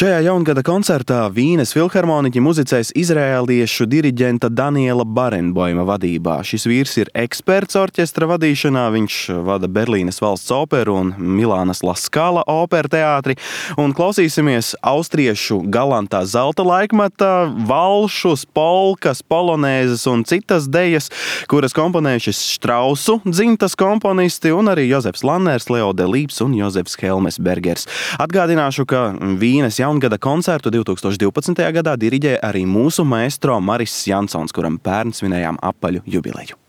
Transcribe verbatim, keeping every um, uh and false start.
Šajā jaungada koncertā Vīnes filharmoniķi muzicēs izrēliešu diriģenta Daniela Barenboima vadībā. Šis vīrs ir eksperts orķestra vadīšanā, viņš vada Berlīnes valsts operu un Milānas La Scala opera teātri. Un klausīsimies austriešu galantā zelta laikmeta valšus, polkas, polonēzes un citas dejas, kuras komponējušas Štrausu dzimtas komponisti un arī Jozefs Lanners, Leo Delibes un Jozefs Helmesbergers. Atgādināšu, ka Vīnes jaungada koncertu divtūkstoš divpadsmitajā gadā diriģēja arī mūsu maestro Maris Jansons, kuram pērn svinējām apaļu jubileju.